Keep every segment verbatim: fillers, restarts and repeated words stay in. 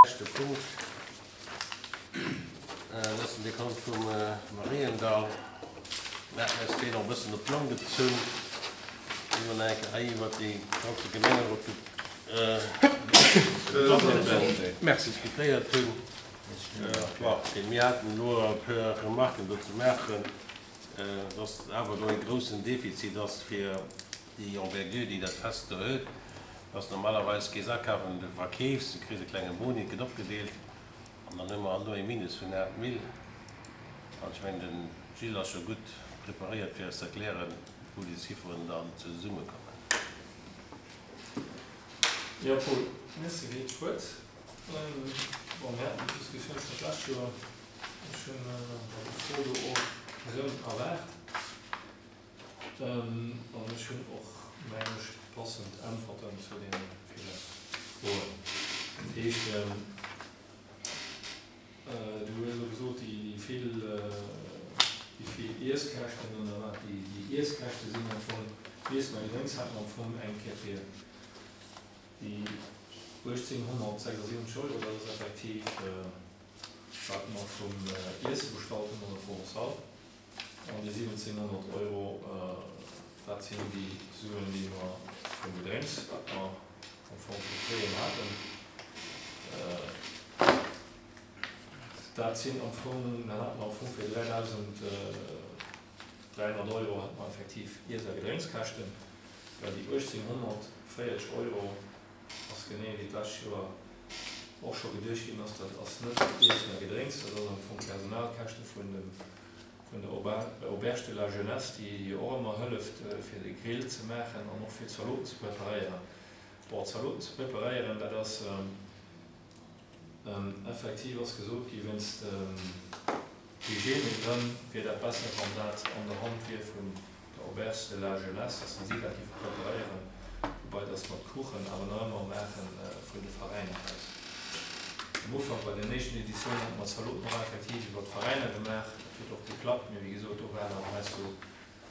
Leschte Punkt, dat ass den Dekont vum Mariendall. Mir haten eis deen och e bëssen op d'Long gezunn. Mir hunn nach eng Kéier hei iwwert dee ganze Gemengerot diskutéiert hunn. Bon, mir haten elo e puer Remarken do ze maachen, dass awer do e groussen Defizit ass fir déi Envergure, déi dat Fest do huet. Ass normalerweis gees akafen, du verkeefs, du kriss e klenge Boni, et gëtt opgedeelt an dann hu mer alt elo ee Minus vun aacht Mille. An ech mengen, den Gilles ass scho gutt preparéiert fir eis ze erklären, wou déi Zifferen dann zesummekommen. Jo, Paul, merci fir d'Wuert. Bon, mir haten déi Diskussioun scho d'lescht Joer. Ech hunn déi Fro do och erëm erwaart. An ech hunn och, mengen ech, passend Äntwerten zu deene ville Froen. Dat heescht, du hues elo gesot, déi vill, déi vill Iesskäschten oder wat déi Iesskäschte sinn am Fong, Iessen a Gedrénks hat mer am Fong eng Kéier fir déi uechtzénghonnertsechsundsiwwenzeg Euro, dat ass effektiv wat mer vum Iesse bestallt hunn an der Provençale. An déi siwwenzénghonnert Euro, dat sinn déi Suen, déi mer vum Gedrénks, wat mer am Fong vu fréien haten, dat sinn am Fong, dat hate mer am Fong fir dräidausend dräihonnert Euro hate mer effektiv Iess a Gedrénkskäschten, well déi uechtzénghonnertvéierzeg Euro ass genee wéi d'lescht Joer och scho geduecht ginn ass, dat ass net Iessen a Gedrénks, dat ass am Fong d'Personalkäschte vun dem vun der Auberge de la Jeunesse, déi jo och ëmmer hëlleft fir de Grill ze maachen an och fir d'Zaloten ze preparéieren. Bon, d'Zaloten ze preparéieren, dat ass effektiv ass gesot gi wéinst Hygiènegrënn wier dat besser, wann dat an der Hand wier vun der Auberge de la Jeunesse, dass se dat géife preparéieren, woubai dass mer d'Kuchen awer nach ëmmer maache vun de Veräiner aus. Am Ufank bei den éischten Editiounen hate mer d'Zaloten och effektiv iwwer d'Veräiner gemaach. Dat huet och geklappt, mee wéi gesot, do war dann heiansdo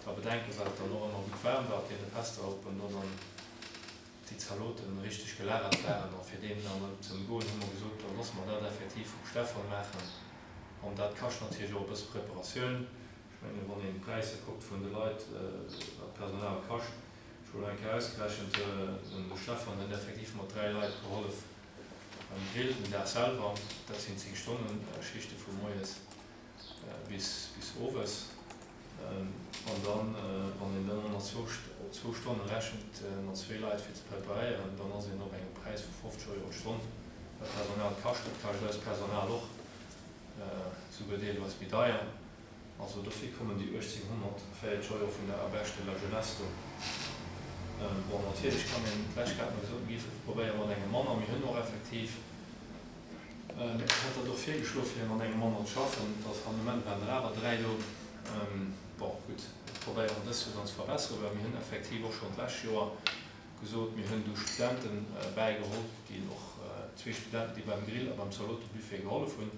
da Bedenken, well et dann och ëmmer gutt waarm war op deene Fester, ob dann do dann déi Zaloten richteg gelagert waren. A fir deem dann ze ëmgoen, hu mer gesot, da loosse mer dat effektiv vum Stefan maachen. An dat kascht natierlech och e bësse Preparatioun. Ech mengen, wann een d'Präisser kuckt vun de Leit, wat d'Personal kascht, ech hu elo eng Kéier ausgerechent, den Stefan huet effektiv mat dräi Leit gehollef beim Grill den Dag selwer, dat sinn zéng Stonnen Schichte vu moies bis bis owes. An dann, wann een dann nach zwou zwou Stonne rechent mat zwee Leit fir ze preparéieren, dann ass een op engem Präis vu fofzeg Euro d'Stonn, wat d'Personal kascht. Dat kascht eist Personal och, souguer deelweis méi deier. Also dofir kommen déi uechtzénghonnertvéierzeg Euro vun der Auberge de la Jeunesse do. Bon, natierlech kann een, d'lescht Kéier hat mer gesot, mir géife probéiere mat engem manner. Mir hunn och effektiv, ech hat dat och virgeschloe fir mat engem manner ze schaffen, et ass am Moment waren der awer dräi do. Bon, gutt, mir probéieren dës jo dann ze verbesseren, well mir hunn effektiv och schonn d'lescht Joer gesot, mir hunn du Studente bäigeholl, déi och, zwee Studenten, déi beim Grill a beim Zalotebuffet gehollef hunn.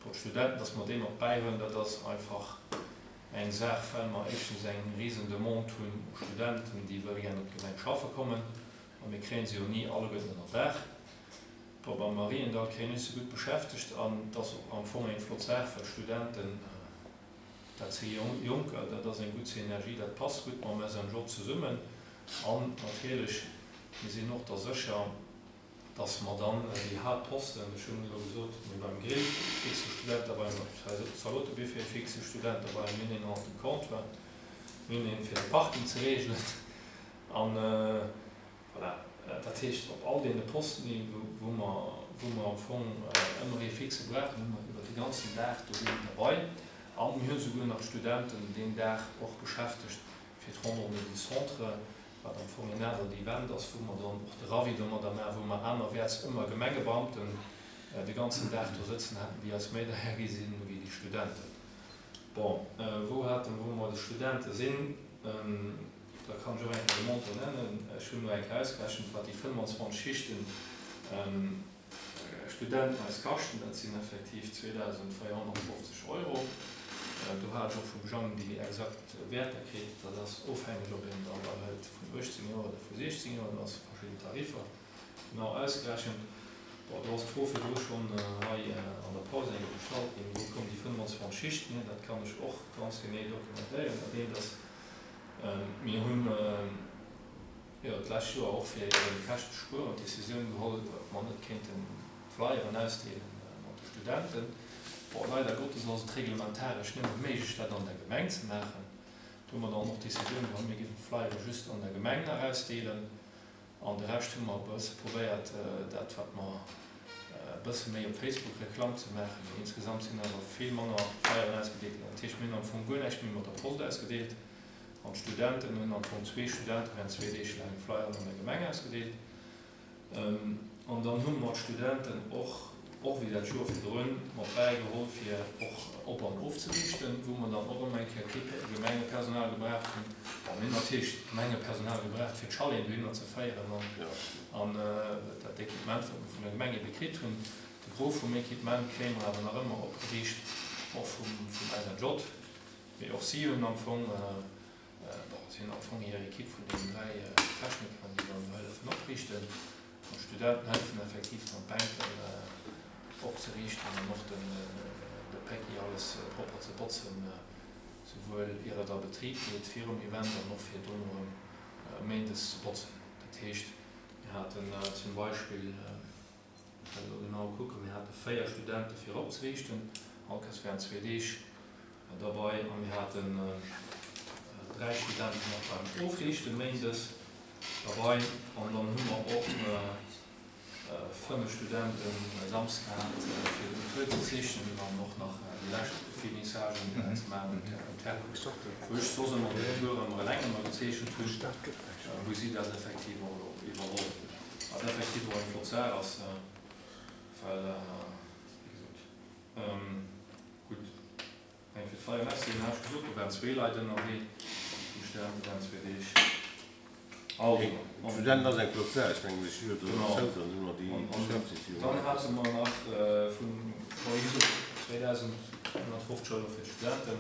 Bon, d'Studenten, dass mer déi mat bäihuelen, dat ass einfach eng Saach, well mer éischtens eng risen Demande hunn u Studenten, déi wëlle gären op d'Gemeng schaffe kommen, a mir kréie se jo ni alleguerten ënner Daach. Bon, beim Mariendall kréien ech se gutt beschäftegt an et ass och am Fong eng flott Saach, well Studenten, dat si Jonker, dat ass eng gutt Synergie, dat passt gutt mam S N J zesummen. An natierlech, mir sinn och da sécher, dass mer dann déi Haaptposten, ech hunn elo gesot, mir beim Grill fixe Student derbei, beim Zalotebuffet fixe Student derbei, mir hunn een hannert dem Comptoir, mir hunn een fir de Parking ze regelen an voilà. Dat heescht, op all deene Posten, wou mer, wou mer am Fong ëmmer ee fixe brauchen, hu mer iwwert de ganzen Dag do een derbei. A mir hunn souguer nach d'Studenten deen Dag och beschäftegt fir d'Randonnée du Centre, wat am Fong en anert Event ass, wou mer dann och de Ravi domadder maachen, wou mer anerwäerts ëmmer Gemengebeamten de ganzen Dag do sëtzen haten, déi eis méi deier gi sinn wéi déi Studenten. Bon, wou haten, wou mer de Studente sinn, da kann ech och eng Kéier de Montant nennen. Ech hunn elo eng Kéier ausgerechent, wat déi fënnwanzwanzeg Schichten Studenten eis kaschten. Dat sinn effektiv zweedausendvéierhonnertfofzeg Euro. Do hat ech och vum Jang déi exakt Wäerter kritt. Dat ass ofhängeg, ob een der der hëlt vun uechtzéng Joer oder vu siechzéng Joer. Do ass verschidden Tariffer genau ausgerechent. Bon, do ass d'Fro virdru schonn hei an der Paus eng Kéier gestallt ginn, Wou kommen déi fënnwanzwanzeg Schichten hier? Dat kann ech och ganz genee dokumentéieren, andeem dass mir hunn jo d'lescht Joer och fir eben Käschten ze spueren d'Decisioun geholl, ob mer net kéinten Flyeren ausdeele mat de Studenten. Bon, leider Gottes ass et reglementaresch nëmme méiglech, dat an der Gemeng ze maachen. Do hu mer dann och d'Decisioun geholl, mir géifen d'Flyere just an der Gemeng nach ausdeelen. An de Rescht hu mer e bësse probéiert, dat wat mer e bësse méi op Facebook Reklamm ze maachen. Mee insgesamt sinn awer vill manner Flyeren ausgedeelt ginn. Dat heescht, mir hunn am Fong guer näischt méi mat der Post ausgedeelt. An d'Studenten hunn am Fong, zwee Studente während zwee Deeg laang Flyeren an der Gemeng ausgedeelt. An dann hu mer d'Studenten och, och wéi dat Joer virdrun, mat bäigeholl, fir och op an ofzeriichten, wou mer dann och erëm eng Kéier kee Gemengepersonal gebraucht hunn. Bon, mir hunn natierlech d'Gemengepersonal gebraucht, fir d'Chaleten dohinner ze féieren an dat Equipement, wat mer vun der Gemeng ebe kritt hunn. De Gros vum Equipement kréie mer awer nach ëmmer opgeriicht, och vum S N J. Mee och si hunn am Fong, bon, si hunn am Fong hir Ekipp vun deenen dräi Technikeren, déi dann hëllefen opriichten. An d'Studenten hëllefen effektiv dann d'Bänken opzeriichten an och den de Päcki alles propper ze botzen, souwuel ier et a Betrib geet virum Event an och fir dono erëm méindes ze botzen. Dat heescht, mir haten zum Beispill, ech kann elo genau kucken, mir hate véier Studente fir opzeriichten, all Kéiers während zwee Deeg derbei, a mir haten dräi Studenten och beim Ofriichten méindes derbei an dann hu mer och fënnef Studenten samsdes gehat fir den Tour ze zeechnen an och nach déi lescht Finissagen ze maachen um Terrain, wou ech soss ëmmer den Tour ëmmer eleng ëmmer gezeechent hunn, hu si dat effektiv och elo iwwerholl, wat effektiv och eng flott Saach ass, well wéi gesot, gutt, eng fir d'Feier Merci, hat ech gesot, do waren zwee Leit ënnerwee vum Stern, do waren zwee Deeg. Also, an. Studenten ass eng flott Saach, ech mengen, ech hu jo do Genau. Zougang, dann hu mer déi An, an beschäftegt jo. dann hate mer nach vun, bon, wéi gesot, zweedausendhonnertfofzeg Euro fir d'Studenten.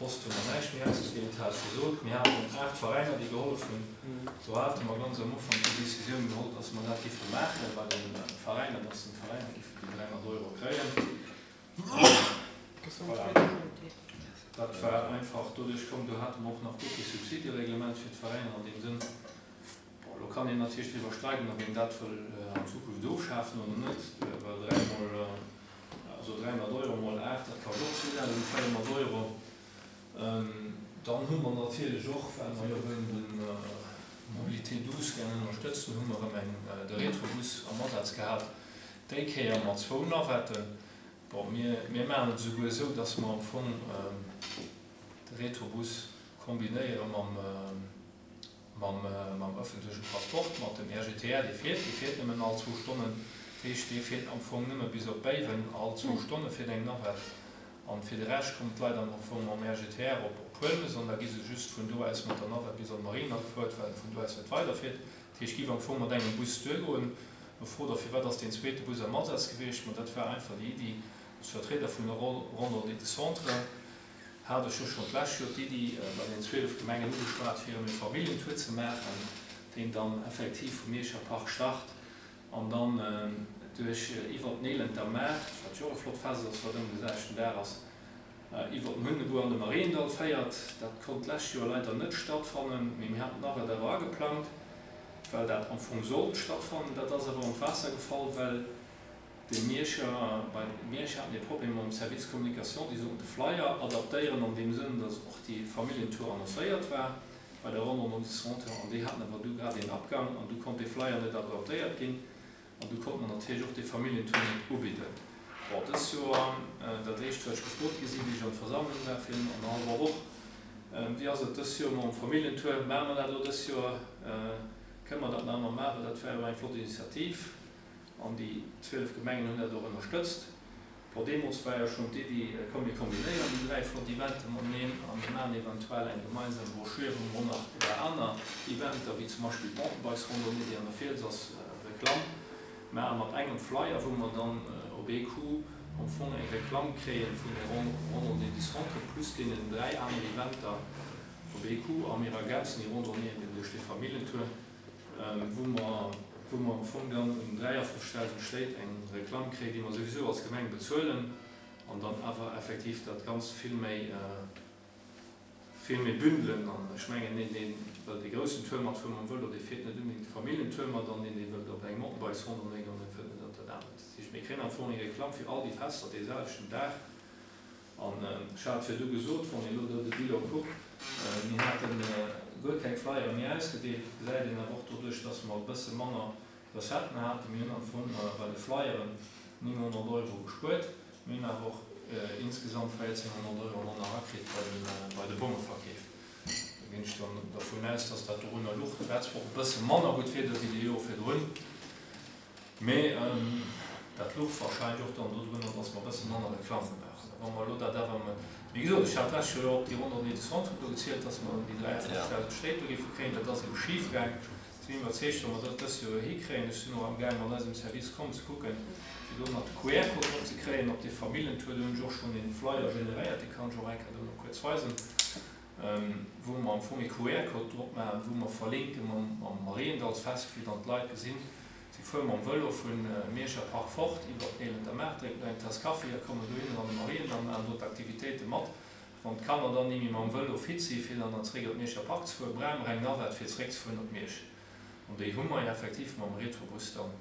Post hu mer näischt méi ausgedeelt, hat ech gesot. Mir haten aacht Veräiner, déi gehollef hunn. Do hate mer ganz am Ufank déi Decisioun geholl, dass mer dat géife maache bei de Veräiner, dass den Veräiner géifen déi dräihonnert Euro kréien. Voilà. Dat war einfach doduerch komm, do hate mer och nach guer kee Subsidereglement fir d'Veräiner an deem Sënn. Bon, elo kann een natierlech driwwer streiden, ob een dat wëll an Zukunft ofschafen oder net, well dräi mol, also dräihonnert Euro mol aacht, dat kascht och zweedausendvéierhonnert Euro. Dann hu mer natierlech och, well mer jo wëllen de Mobilité douce gär ënnerstëtzen, hu mer erëm eng, de Retrobus am Asaz gehat, déi Kéier mat zwou Navetten. Bon, mir, mir maachen et esouguer esou, dass mer am Fong de Retrobus kombinéiere mam, mam, mam öffentlechen Transport, mat dem R G T R, dee fiert, dee fiert nëmmen all zwou Stonnen. Dat heescht, dee fiert am Fong nëmme bis op Béiwen, all zwou Stonne fiert eng Navette. An fir de Rescht kommen d'Leit am Fong mam R G T R op Huelmes an da gi se just vun do aus mat der Navette bis an d'Marina gefuert, well vun do aus net weiderfiert. Dat heescht, giff am Fong mat engem Bus duergoen. Lo frot Der, firwat ass deen zweete Bus am Asaz gewiescht? Ma dat war einfach déi Iddi, als Vertrieder vun der Randonnée du Centre hat ech jo schonn d'lescht Joer d'Iddi bei den zwielef Gemengen ugeschwat, fir erëm e Familljentour ze maachen, deen dann effektiv vum Mierscher Park start an dann duerch iwwert den Elenter Maart, wat jo och e flott Fest ass, wat ëmmer de selwechten Dag ass, iwwert den Hunnebuer an de Mariendall féiert. Dat konnt d'lescht Joer leider net stattfannen, mee mir haten d'Navette awer ageplangt, well dat am Fong sollt stattfannen. Dat ass awer an d'Waasser gefall, well de Mierscher, bei Miersch haten ee Problem mam Service Communication, déi sollten de Flyer adaptéieren an deem Sënn, datt och déi Familljentour annoncéiert war bei der Randonnée du Centre, an déi haten awer du grad een Abgang an du konnt dee Flyer net adaptéiert ginn an du konnt mer natierlech och dee Familljentour net ubidden. Bon, dës Joer, dat éischt wat ech gefrot gi sinn, wéi ech an d'Versammlung war virun annerhallwer Woch, Wéi ass et dës Joer mam Familljentour, maache mer dat elo dës Joer, kënne mer dat nach ëmmer maachen? Dat war jo eng flott Initiativ an déi zwielef Gemengen hunn dat och ënnerstëtzt. Bon, deemools war jo schonn d'Iddi, komm mir kombinéieren déi dräi flott Eventer mateneen a mir maachen eventuell eng gemeinsam Broschür, wou mer och nach iwwer aner Eventer, wéi zum Beispill d'Mountainbikes-Randonnée, déi an der Fiels ass, Reklamm maache mat engem Flyer, wou mer dann op ee Coup am Fong eng Reklamm kréie vun der Randonnée du Centre plus deenen dräi aner Eventer op ee Coup a mir ergänzen déi Randonnée eben duerch dee Familljentour, wou mer Wou mer am Fong dann un dräiafofzegtausend Stéit eng Reklamm kréien, déi mer souwisou als Gemeng bezuelen, an dann awer effektiv dat Ganzt vill méi, vill méi bündelen. An ech mengen, deen, dee wëllt dee groussen Tour matfuere mam Vëlo, dee fiert net onbedéngt de Familljentour mat, an deen, dee wëllt op engem Mountainbikes-Rondon goen, dee fiert net op dat anert. Dat heescht, mir kréien am Fong eng Reklamm fir all déi Fester dee selwechten Dag. An ech hat virdu gesot, wann een elo do de Bilan kuckt, mir hate guer keng Flyere méi ausgedeelt, gesäit een awer och doduerch, dass mer e bësse manner Recetten haten. Mir hunn am Fong bei de Flyeren nénghonnert Euro gespuert. Mir hunn awer och insgesamt véierzénghonnert Euro manner erakritt bei de Bongeverkeef. Do ginn ech dann dervun aus, dass dat dorunner luch. Et war zwar och e bësse manner gutt Wieder wéi déi Jore virdrun, mee dat luch warscheinlech och dann dodrunner, dass mer e bësse manner Reklamm gemaach hunn. Wa mer elo dat awer, wéi gesot, ech hat d'lescht Joer och déi ronn Descente do gezielt, dass mer déi dräiundfünfzegtausend Stéit do géife kréien. Dat ass ebe schifgaang. Ech sinn iwwerzeegt, wa mer dat dëst Joer hikréien, ech sinn och amgaang mat eisem Service Com ze kucken, fir do nach de Q R-Code drop ze kréien op dee Famillentour. Do hunn ech och schonn ee Flyer generéiert, dee kann ech och eng Kéier dono kuerz weisen, wou mer am Fong ee Q R-Code drop maachen, wou mer verlinke mam Mariendallsfest, fir dann d'Leit gesinn, si fuere mam Vëlo vu Mierscher Park fort iwwer d'Neelenter Maart, drénken do eng Taass Kaffi a kommen dohinner an de Mariendall, maachen do d'Aktivitéite mat. Wann d'Kanner dann ni méi mam Vëlo fit si fir dann zeréck op d'Mierscher Park ze fueren, brauche mer eng Navette fir zeréckzefueren op Miersch. An déi hu mer jo effektiv mam Retrobus dann.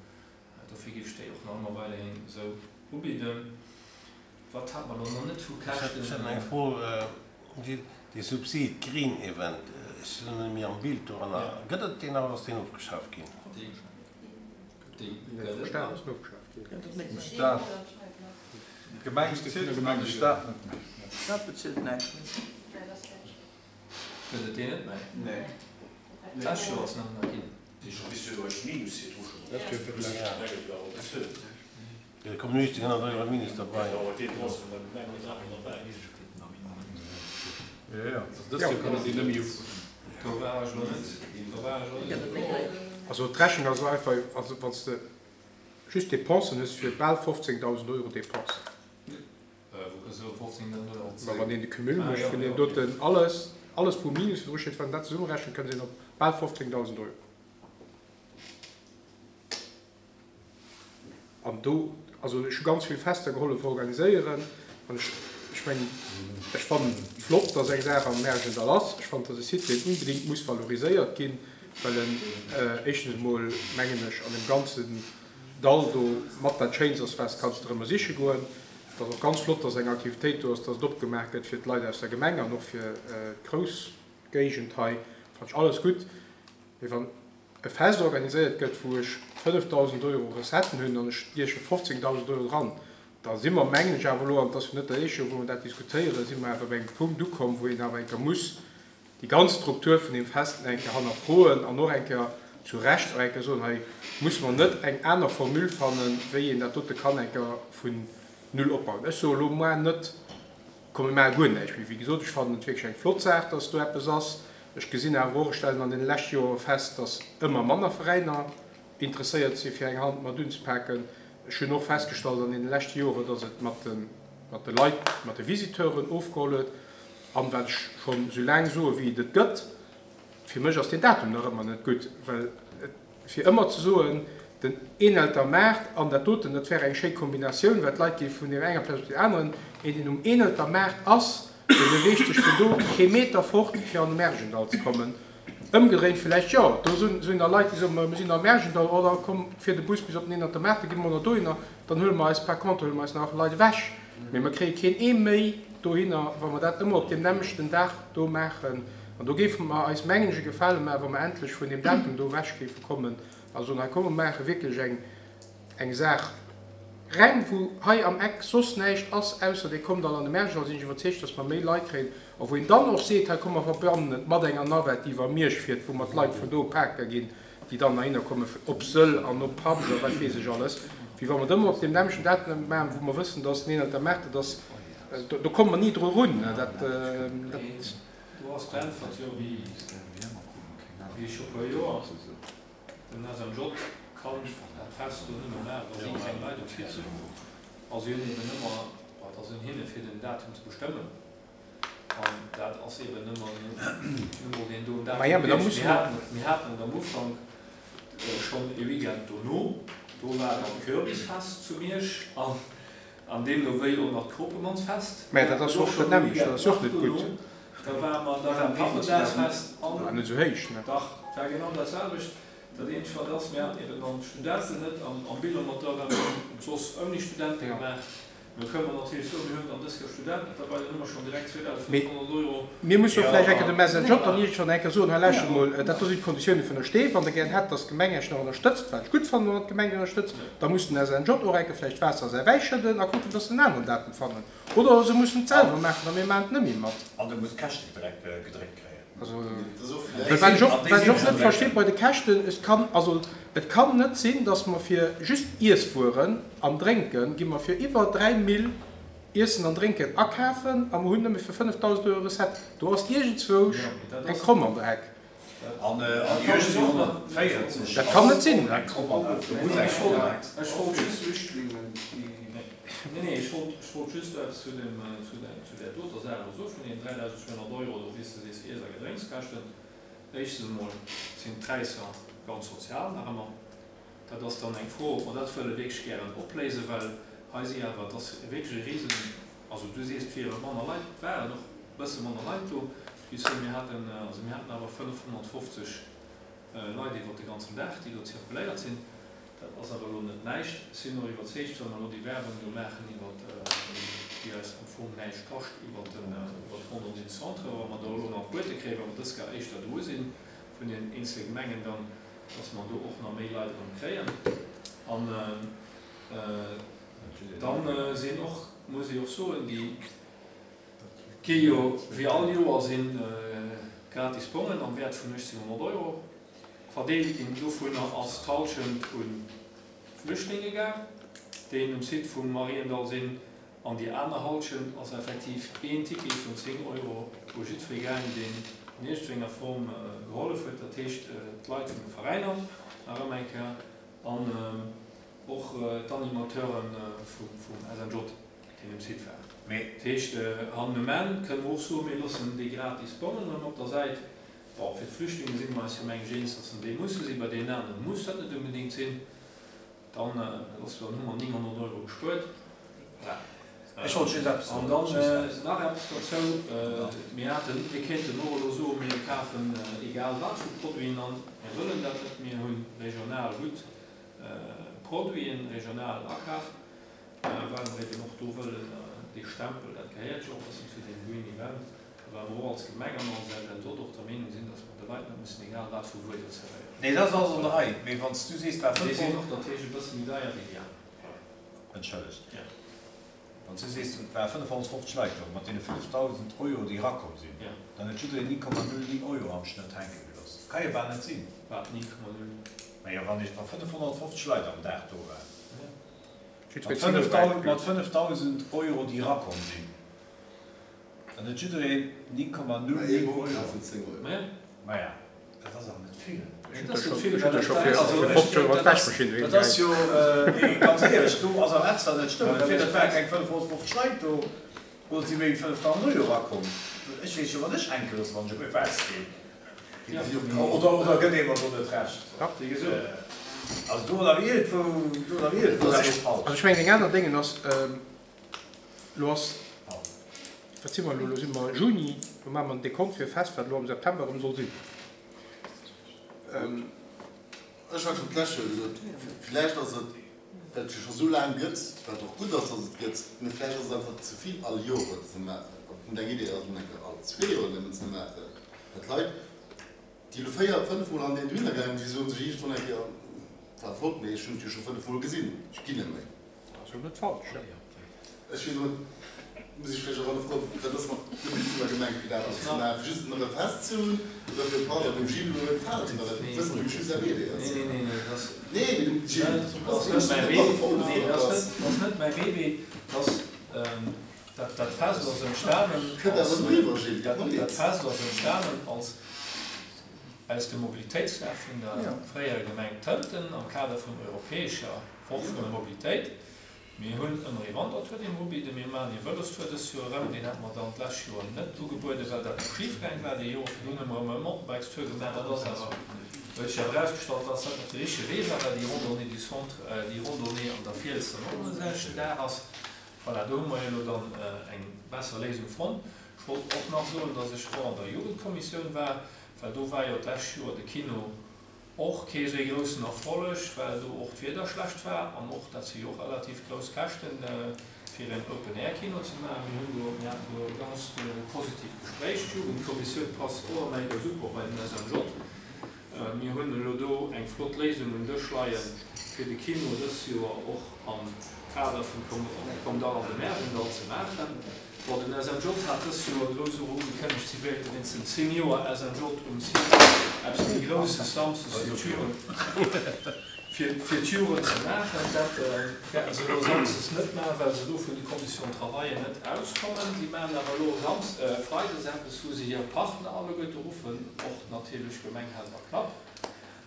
Dofir géif ech déi och nach ëmmer weiderhin esou ubidden. Wat hat mer elo nach net vu Ech hätt Käschten? eng Fro, Gilles, dee Subsid Green Event, ech sinn net méi am Bild doranner, gëtt et deen nach oder ass deen ofgeschaaft ginn? Dee dee Nee, gëtt vum et Staat nach. ass en ofgeschaaft ginn. Vum Staat. D'Gemeng bezilt en an de Staat net méi. De Staat bezilt näischt méi. Gëtt et deen net méi? Nee. D'lescht Joer ass en nach ginn. Dat Joer fir d'lescht. Jo, kommen uechtzénghonnert Euro Minus derbei. Jo, jo, also dëst Joer kann et deen net méi ufroen. Do war ech elo net, do war ech elo Gëtt net. et net méi. Also d'Rechnung ass einfach, also wann s de just Dépensen hues fir bal fofzéngdausend Euro Dépensen. Wou kënns du op fofzéngdausend Euro? Ma wann een de Cumul Ah mécht jo, vun jo, deem okay. doten alles, alles wou Minus virdru steet, wann een dat zesummerechent, kënnt een op bal fofzéngdausend Euro. An do, also ech hu ganz vill Fester gehollef organiséieren an ech, ech mengen, ech fannen flott, dass eng Saach am Märjendall ass. Ech fannen, dass e Site, deen unbedéngt muss valoriséiert ginn, well en éischtens emol, mengen ech, an deem ganzen Dall do mat dat Schéinst ass, wat s kanns de erëmmer siche goen. Et ass och ganz flott, dass eng Aktivitéit do ass, dass et opgemaach gëtt fir d'Leit aus der Gemeng an och fir d'Groussgéigend hei. Fannen ech alles gutt. Mee wann e Fest organiséiert gëtt, wou ech fënnefdausend Euro Recetten hunn an ech stieche fofzéngdausend Euro dran, da si mer, mengen ech awer elo, an et ass jo net dat éischt Joer, wou mer dat diskutéieren, si mer awer bei engem Punkt ukomm, wou een awer eng Kéier muss déi ganz Struktur vun deem Fest eng Kéier hannerfroen an och eng Kéier zu Recht och eng Kéier soen, hei muss mer net eng aner Formule fannen, wéi een dat dote kann eng Kéier vun null opbauen. Ech soe elo moar net, komm mir maache guer näischt méi. Wéi gesot, ech fannen et wierklech eng flott Saach, dass do eppes ass. Ech gesinn awer och, ech stellen an deene leschte Jore fest, dass ëmmer manner Veräiner interesséiert si fir eng Hand mat unzepaken. Ech hunn och festgestallt an deene leschte Jore, dass et mat de, mat de Leit, mat de Visiteuren ofgeholl huet. An wat ech schonn esou laang soe wéi et et gëtt, fir mech ass deen Datum nach ëmmer net gutt, well et, fir ëmmer ze soen, den Eenelter Maart an dat doten, dat wär eng schéi Kombinatioun, well d'Leit gi vun deem enger Plaz op déi aneren. Een, deen um Eenelter Maart ass, dee beweegt sech vun do kee Meter fort, fir an de Märjendall ze kommen. Ëmgedréint villäicht jo, do sinn da Leit, déi soen, ma mir sinn am Märjendall, oh da komm, fier de Bus bis op den Eenelter Maart, da gi mer nach dohinner, dann huele mer eis par contre huele mer eis nach Leit ewech. Mee mer kréie keen ee méi dohinner, wa mer dat ëmmer op deem nämmlechten Dag do maachen. An do géife mer eis, mengen ech, e Gefale maachen, wa mer endlech vun deem Datum do ewech géife kommen a soen, hei komm, mer maache wierklech eng, eng Saach reng, wou hei am Eck soss näischt ass, ausser Dir kommt all an de Märjendall, sinn ech iwwerzeegt, dass mer méi Leit kréien. A wou een dann och seet, hei komm, mer verbannen et mat enger Navette, déi iwwer Miersch fiert, wou mer d'Leit vun do pake ginn, déi dann heihinner kommen, op Sëll an op Habscht a wat weess ech alles, wéi wa mer et ëmmer op deem nämmlechten Datum maachen, wou mer wëssen, dass den Eenelter Maart et ass, do komme mer ni dru erun. Dat, dat. Do ass d'Äntwert jo, wéi scho puer Joer, den S M J kann dat Fest do nëmme maachen, wa si keng Leit um Site sinn. A si hunn eben ëmmer, bon, et ass un hinne fir den Datum ze bestëmmen, an dat ass eben ëmmer nu mol deen doen Maja, Datum mä da gewiescht. musse Mir mer. haten, mir haten et am Ufank, Schonn ee Weekend dono, do war dann d'Kürbisfest zu Miersch an an deemno wéi och nach d'Kropemannsfest. Mä dat ass och dat nämmlecht, dat ass och net gutt. Da war mer, da war Pappendagsfest an. War net esou héich, ne? Dach, et war genau dat selwecht. Dat eenzegt wat ass, mir haten eben dann d'Studenten net am am Bilan mat dra, well mir hunn et soss ouni Studente gemaach. Lo kënne mer natierlech soen, mir hunn dann dës Joer Studenten net derbei, dann hu mer schonn direkt Mee zweedausendfënnfhonnert Euro. mir musse jo vläicht eng Kéier dem S N J dann iergendwann eng Kéier soen, hei lauschtert emol, dat do sinn d'Konditioune vun der Stee, wann Der gären hätt, datt d'Gemeng Iech nach ënnerstëtzt, wat ech gutt fannen, wann d'Gemeng ënnerstëtzt, da muss den S N J och eng Kéier vläicht Waasser a säi Wäi schëdden a kucken, datt se en aneren Datum fannen. Oder se mussen et selwer maachen a mir maachen et net méi mat. An du muss d'Käschte gedréckt kréien. Also, well wat ech och, wat ech och net versti bei de Käschten, et kann, also et kann net sinn, datt mer fir just Iesswueren an Drénken, gi mer fir iwwer dräi Mille Iessen an Drénken akafen a mer hunn nëmme fir fënnefdausend Euro Recette. Do ass iergendzwousch eng Kromm an der Heck. An uechtzénhonnertvéierzeg Dat kann net sinn. Eng Kromm an der Heck. Do muss eng Kromm an der Heck sinn. Ech wollt just Nee, nee, ech wollt, ech wollt just eppes zu dem, zu der, zu där doter Saach elo soen, vun deenen dräidausend zweehonnert Euro do, wéi s de sees, Iess a Gedrénkskäschten. Éischtens emol sinn d'Präisser ganz sozial nach ëmmer. Dat ass dann eng Fro, ob mer dat wëlle wierklech gären opléisen, well hei si awer, et ass wierklech e Risen, also du sees, et wiere manner Leit, et waren och e bësse manner Leit do, ech géif soen, mir haten, also mir haten awer fënnefhonnertfofzeg Leit iwwert de ganzen Dag, déi do zirkuléiert sinn. Dat ass awer elo net näischt. Ech sinn och iwwerzeegt, wa mer elo déi Werbung do maachen iwwer déi eis am Fong näischt kascht, iwwer den, iwwer d'Randonnée du Centre, wa mer do elo nach Buete kréien, wa mer dës Gar éischter dru si vun den eenzele Gemengen, dann, dass mer do och nach méi Leit erëm kréien. An dann sinn och, muss ee och soen, déi gi jo wéi all Joer si gratis Bongen am Wäert vun uechtzénhonnert Euro verdeelt ginn. Dovunner ass d'Hallschent u Flüchtlinge gaang, déi um Site vum Mariendall sinn, an déi aner Hallschent ass effektiv een Ticket vun zéng Euro u jiddweree gaang, deen an iergendenger Form gehollef huet, dat heescht d'Leit vun de Veräiner nach ëmmer eng Kéier an och d'Animateure vum S N J, déi um Site waren. Dat heescht, an um Enn kënne mer och soen, mir loossen déi gratis Bongen erëm op der Säit. Bon, fir d'Flüchtlinge si mer eis jo mengen ech eens, dass se déi musse sinn. Bei deenen anere muss dat net unbedéngt sinn. Dann loosse mer, dann hu mer nénghonnert Euro gespuert. Voilà. Ech wollt just eppes An soen. dann Just eppes. nach eppes dozou, Mir haten, mir kéinten och elo soen, mir kafen egal wat vu Produiten an. Mir wëllen dat net. Mir hu regional gutt Produiten, regional akaf, well mer eben och do wëllen dee Stempel, dat gehéiert jo och e bëssen zu deem Green Event, a well mer och als Gemeng an als S N J och der Meenung sinn, dass mer de Leit net mussen egal wat vu Wueder zerwéieren. Nee, dat ass alles an der Rei. Mee wann s du sees, et war Déi sinn fënnfhonnert. och natierlech e bësse méi deier wéi déi aner. Voilà. Entschëllegt. Ja. Wann s du sees, et ware fënnefhonnertfofzeg Leit do, mat deene fënnefdausend Euro, déi erakomm sinn, Ja. dann huet jiddereen néng Komma null néng Euro am Schnëtt hänke gelooss. Ka jo bal net sinn. Wat, néng Komma null néng? Majo, wann ech, wa fënnefhonnertfofzeg Leit am Dag do waren. Ja. Mat fënnefdausend, mat fënnefdausend Euro, déi erakomm sinn, dann huet jiddereen néng Komma null néng Euro. Maja. Maja, dat ass awer net vill. Dat ass net vill, well dat Also, ech, dat ass jo, nee, ganz éierlech, do ass awer eppes, wat net stëmmt. Entweder et ware keng fënnefhonnertfofzeg Leit do, oder et si méi wéi fënnefdausend Euro erakomm. Ech weess jo, wat ech hänke loosse, wann ech op e Fest ginn. Oder, oder gëtt ee mer do net Recht? Wéi gesot. Also do ass awer iergendwou, do ass awer iergendwou eppes falsch. Also ech mengen, eng aner Déngen ass, elo ass, wat si mer elo, elo si mer Juni, elo maache mer en Dekont fir e Fest, wat elo am September erëm soll sinn. Ech hat schonn d'lescht Joer gesot, villäicht ass et, well et jo scho sou laang gëtt, wat och gutt ass, datt et gëtt, mee vläicht ass et einfach ze vill all Joer et ze maachen. Ob et net eng Idee ass, et eng Kéier all zwee Joer nëmmen ze maachen, well d'Leit, déi elo véier, fënnef Mol an deen dohinner gaangen, déi soen sech iergendwann eng Kéier, war flott, mee ech hunn et jo scho fënnef Mol gesinn, ech ginn net méi. Dat ass jo net falsch. Ech weess net, muss ech vläicht och hannerfroen, wat ass mat dem But vun der Gemeng, fir dat ze maachen, fir just nach e Fest ze hunn oder fir, pardon, dem Gilles elo net gefalen ze well dat wësse mer jo just säi Bébé ass. Nee, nee, nee, dat ass. Nee, mee dem Gilles, Dat ass net mäi Bébé. Nee, dat ass net, dat ass net mäi Bébé. Dat ass, dat, dat Fest ass entstanen Kënnt als, awer driwwer, Gilles, dat, dat dat Fest ass entstanen als aus dem Mobilitéitsdag vun der fréierer Gemeng Tënten am Kader vun europäescher Woch vun der Mobilitéit. Mir hunn ëmmer ee Wandertour, dee mer ubidden. Mir maachen ee Vëlostour dëst Joer erëm. Deen hate mer dann d'lescht Joer net ugebueden, well dat schif gaang war. Dee Joer virdrun hu mer erëm e Mountainbikestour gemaach. Dat ass awer Huet sech awer erausgestallt, dass dat net de richtege Wee war, well déi Randonnée du Centre, déi Randonnée an der Fiels dann och um selwechten Dag ass. Voilà, do hu mer jo elo dann eng besser Léisung fonnt. Ech wollt och nach soen, dass ech och an der Jugendkommissioun war, well do war jo d'lescht Joer de Kino och kee esou ee groussen Erfolleg, well do och d'Wieder schlecht war an och, dat si jo och relativ grouss Käschten, fir een Open-Air-Kino ze maachen. Mir hunn do, mir haten do e ganzt positivt Gespréich. D'Jugendkommissioun passt och ëmmer eng super bei den S M J. Mir hunn elo do eng flott Léisung um Dësch leien, fir de Kino dës Joer och am Kader vum Komm Dall an de Märjendall ze maachen. Bon, den S M J hat dës Joer grouss och ugekënnegt, si wéilte wéinst den zéng Joer S M J um Site eppes méi Grousses samsdes fir d'Jugend, fir, fir d'Jugend ze maachen. Dat wäerten se elo samsdes net maachen, well se do vun de Conditions de travail net auskommen. Si maachen awer elo sams-, freides eppes, wou se hir Partner alleguerte ruffen, och natierlech Gemeng Helperknapp.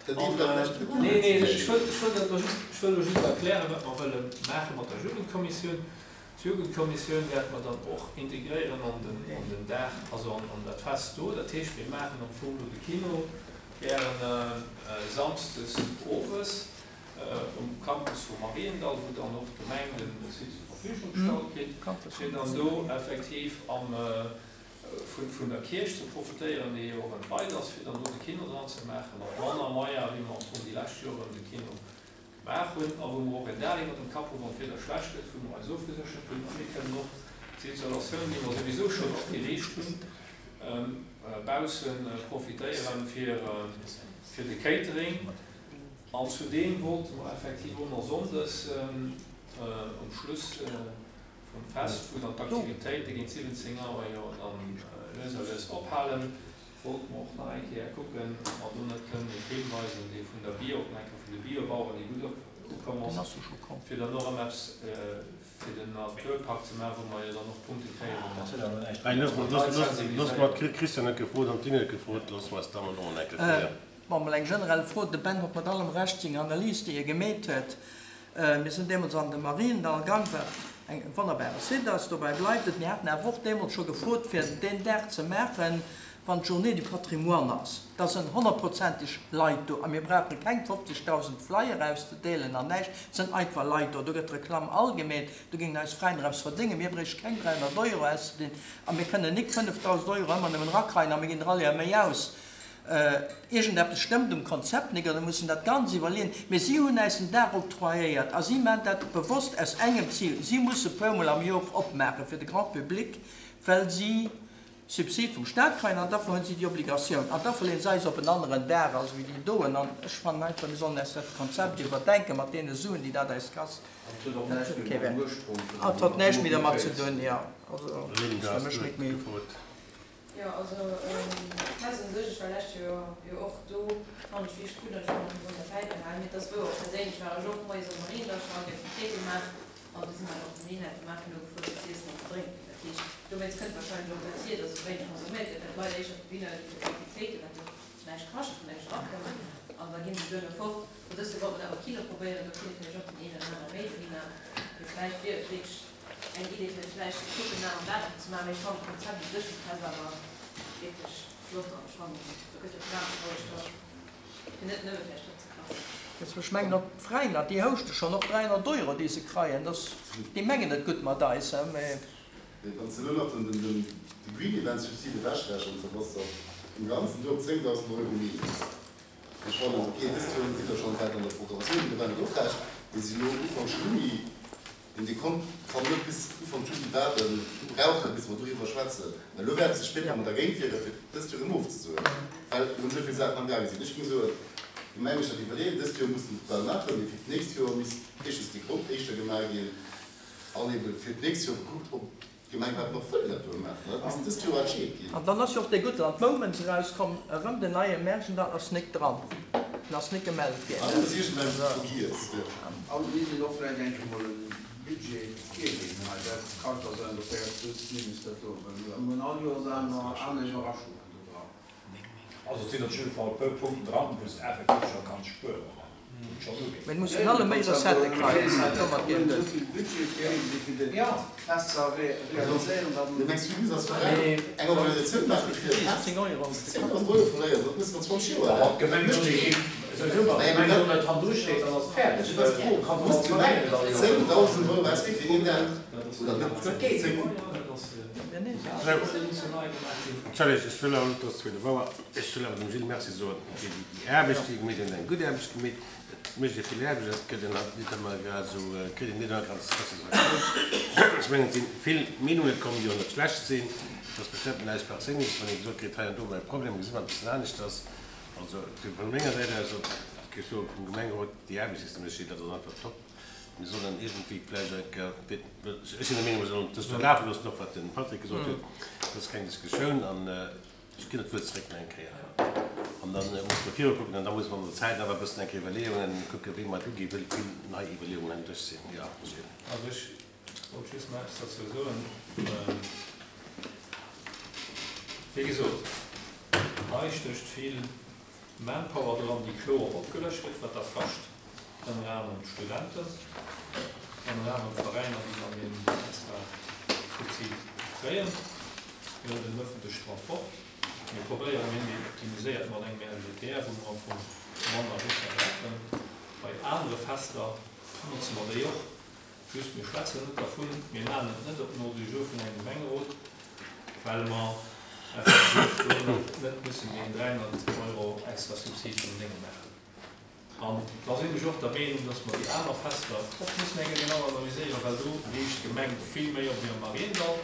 An, nee, nee, ech wëll, ech wëll dat elo just, ech wëll elo just erklären, wat mer wëlle maache mat der Jugendkommissioun. D'Jugendkommissioun wäerte mer dann och integréieren an den, an den Dag, also an, an dat Fest do. Dat heescht, mir maachen am Fong do de Kino gären samsdes owes um Campus vu Mariendall, wou dann och d'Gemeng den Site zur Verfügung gestallt kritt, fir dann do effektiv am, vun, vun der Kierch ze profitéieren, déi jo och entweit ass, fir dann do de Kino dran ze maachen, mat manner Moyen, wéi mer am Fong déi lescht Joren de Kino gemaach hunn, a wou mer och en Dag iwwer dem Kapp hunn, wann d'Wieder schlecht gëtt, wou mer eis ofgeséchert hunn, a mir kënnen och d'Isolatioun, déi mer souwisou schonn opgeriicht hunn, bausse profitéieren fir, fir de Catering. An zudeem wollte mer effektiv och nach sonndes um Schluss vum Fest, wou dann d'Aktivitéite géint siwwenzéng Auer jo dann lues a lues ophalen, wollte mer och nach eng Kéier kucken, ob mer do net kënnen ee Film weisen, dee vun der Bio, och nach eng Kéier vun de Biobaueren, dee gutt ukomm ass, fir dann och erëm eppes fir den Naturpark ze maachen, wou mer jo dann och Punkte kréien, wou mer Hey, looss mer, looss, looss, looss mer d'Christiane net gefrot an d'Lynn net gefrot, looss mer eis da mol och eng Kéier fréier. Bon, mol eng generell Fro. De Ben huet mat allem Recht seng Analys, déi e gemeet huet. Mir sinn deemools an de Mariendall gang, wat eng wonnerbare Site ass, dobäi bleift et. Mir haten awer och deemools scho gefrot, fir deen Dag ze maachen, wann d'Journée du Patrimoine ass. Da sinn honnertprozenteg Leit do a mir brauche keng fofzegdausend Flyer auszedeelen an näischt. Et sinn einfach Leit do. Do gëtt Reklamm all gemeet. Do géingen eis Fräin eppes verdéngen. Mir bréiche keng dräihonnert Euro auszedinn a mir kënnen nik fënnefdausend Euro ëmmer nëmmen erakreien a mir ginn der all Joer méi aus. Iergendeppes stëmmt um Konzept nik oder mussen dat ganz iwwerleeën. Mee si hunn eis den Dag octroyéiert a si maachen dat bewosst aus engem Zil. Si musse puermol am Joer opmaache fir de Grand Public, well si Subsid vum Staat kréien an dafür hunn si déi Obligatioun. An da verleeën se eis op en aneren Dag als wéi déi doen. An ech fannen einfach, mir sollen eis dat Konzept iwwerdenken mat deene Suen, déi dat eis kasst. An et huet och Dat näischt huet méi kee mam Wäert. Ursprung vun An et huet der näischt méi dermat ze Mobilitéit. doen, jo. Also, Lynn, du ass fir has mech nik méi. gefrot. Jo, also, d'Fest un sech, ech war lescht Joer jo och do, fand ech wierklech gutt an ech fannen, mir sollen dat bäibehalen. Mee et ass wouer, perséinlech war ech och moies am Mariendall, ech hat Aktivitéite gemaach an du si mer och den Inhalt gemaach, fir no gefuer fir z'iessen an ze drénken. Dat heescht, dowéinst kënnt wahrscheinlech och dat hier, dass esou wéineg konsuméiert gëtt, well d'Leit éischter dohinner gi fir d'Aktivitéiten, wat jo näischt kascht, wou näischt erakënnt, an da ginn se duerno fort. An dëst Joer wollte mer dat am Kino probéieren, do kënne vläicht och den een oder aner méi dohinner. Mee vläicht wier et wierklech eng Idee, fir vläicht ze kucken, nach am Datum ze maachen. Mee ech fannen d'Konzept u sech vum Fest awer wierklech flott an ech fannen, do gëtt jo d'Verantwortung da fir net nëmme vläicht dat ze kachen. Jetzt, ech mengen och d'Veräiner, déi houschte schonn och dräihonnert Euro, déi se kreien. Das, déi mengen et gutt mat eis, hein, mee Wann se elo nach den, den, den, de Green Event Subside ewechrechnen, da bass du im Ganzen do op zéngdausend Euro minus. Ech fannen, okay, dëst Joer sidd der schonn wäit an der Programmatioun, do war net och recht, mee si elo Ufank Juni, den Dekont kann net bis Ufank Juli waarden, brauchen, bis mer doriwwer schwätzen. Well elo wäerte se spéider mat dergéint wieren, fir dëst Joer erëm ofzesoen, well erëm esou vill Saachen am Gaange sinn. Ech géing soen, d'Gemeng muss dat iwwerleeën, dëst Joer mussen se et well maachen, mee fir d'nächst Joer misst éischtens de Grond éischter gemaach ginn an eben fir d'nächst Joer gekuckt, ob d'Gemeng wat nach wëll dat do maachen. Dat misst dëst Joer entscheet ginn. An dann ass jo och dee Guttel an d'Moments erauskomm, erëm den neie Märjendall ass nik dran. Den ass nik gemellt ginn. Ah, dat ass iergendeng vergiess, jo. An mir sinn och vläicht eng Kéier mol e Budget virginn hei. Dat kann da sein, dass der plus minus dat do, well mir hunn all Joers aner, aner Iwwerraschungen do dran. Also et sinn op jidde Fall e puer Punkten dran, wou s de effektiv scho kanns spueren. Mee et mussen alle méi Recettë kréien, domat geet et net. Entschëllegt, ech wëll awer net, dass zwee de Bauer, ech wëll awer dem Gilles Merci soen fir déi Aarbecht, déi e gemeet huet. En huet eng gutt Aarbecht gemeet. Et mécht ee vill Aarbecht, et gëtt een halt net ëmmer grad esou, kritt een net ëmmer grad Satisfaktioun. Ech mengen, et si vill Meenunge komm, déi och net schlecht sinn. Et ass bestëmmt näischt Perséinleches, wann ee gesot kritt, hei an do war e Problem, gesi mer e bëssen aneschters. Also vu menger Säit aus, géif ech soen, vum Gemengerot, déi Aarbecht, déi s de méchs, Gilles, dat ass einfach top. Mir sollen iergendwéi vläicht eng Kéier, ech sinn der Meenung, mir sollen dëst do lafe loossen, och wat de Patrick gesot huet, dat ass keng Diskussioun. An ech ginn et wuel zeréck nach eng Kéier. An da musse mer virukucken an da musse mer an der Zäit awer e bëssen eng Kéier Iwwerleeungen kucken, wéi mer et uginn, wëll vill nei Iwwerleeungen am Dësch sinn. Jo, Gilles. Also ech wollt just nach eppes derzou soen. Wéi gesot, hei stécht vill Manpower dran, déi kloer opgelëscht gëtt, wat dat kascht. Ënner anerem d'Studenten, ënner anerem d'Veräiner, déi dann deen extra Subsid kréien. Mir hunn den öffentlechen Transport. Mir probéieren, mir hunn deen optimiséiert mat engem R G T R, wou mer am Fong manner Busser brauchen. Bei anere Fester notze mer déi och. Just, mir schwätzen net dervun, mir maachen et net op den Ordre du jour vun engem Gemengerot, well mer effektiv do net mussen deen dräihonnert Euro extra Subsid vum Dénge maachen. An da sinn ech och der Meenung, dass mer déi aner Fester och mussen eng Kéier genau analyséieren, well do leescht d'Gemeng vill méi op wéi am Mariendall.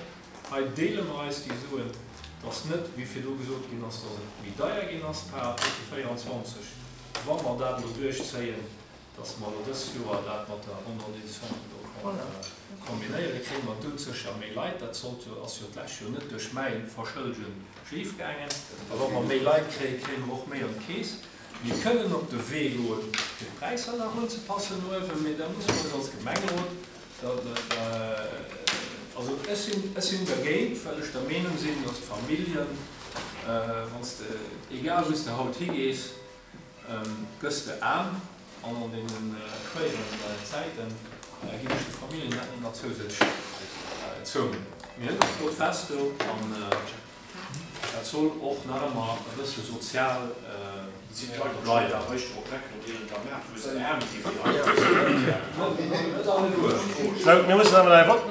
Hei deele mer eis déi Suen. Et ass net, wéi virdu gesot ginn ass, dass et méi deier ginn ass par rapport zu véierundzwanzeg Wa mer dat elo duerchzéien, dass mer elo dës Joer dat mat der Randonnée du Centre do kombinéieren, kréie mer dout sécher méi Leit. Dat sollt jo, ass jo d'lescht Joer net duerch mäi Verschëlde schifgaangen. A wa mer méi Leit kréien, kréie mer och méi an d'Keess. Mir kënnen op de Wee goen, fir d'Präisser nach unzepassen no uewen, mee da musse mer eis als Gemengerot, also ech sinn, ech sinn dergéint, well ech der Meenung sinn, dass d'Familljen, wann s de, egal wou s de haut higees, gëss de aarm an an deene schwéieren Zäiten ginn ech de Familljen dat net nach zousätzlech zoumudden. Mir hunn e flott Fest do an dat soll och nach ëmmer e bësse sozial bleiwen. Sou, mir mussen awer nach e Vott.